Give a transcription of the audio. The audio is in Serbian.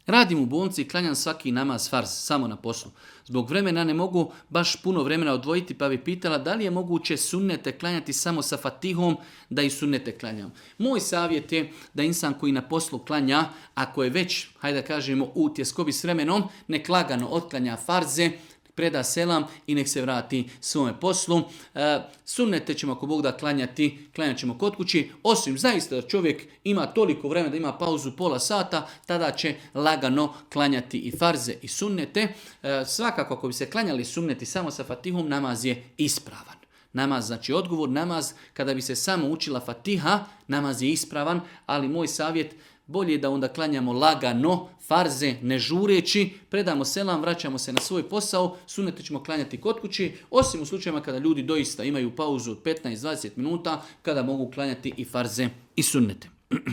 Radim u bolnici i klanjam svaki namaz farz, samo na poslu. Zbog vremena ne mogu baš puno vremena odvojiti, pa bi pitala da li je moguće sunnete klanjati samo sa fatihom, da i sunnete klanjam. Moj savjet je da insan koji na poslu klanja, ako je već, hajde da kažemo, u tjeskobi s vremenom, nek lagano otklanja farze, preda selam i nek se vrati svome poslu. Sunnete ćemo ako Bog da klanjat ćemo kod kući, osim zaista da čovjek ima toliko vremena da ima pauzu pola sata, tada će lagano klanjati i farze i sunnete. Svakako ako bi se klanjali sunneti samo sa fatihom, namaz je ispravan. Namaz, znači odgovor, namaz kada bi se samo učila fatiha, namaz je ispravan, ali moj savjet, bolje je da onda klanjamo lagano, farze, ne žureći, predamo selam, vraćamo se na svoj posao, sunnete ćemo klanjati kod kući, osim u slučajima kada ljudi doista imaju pauzu od 15-20 minuta, kada mogu klanjati i farze i sunnete.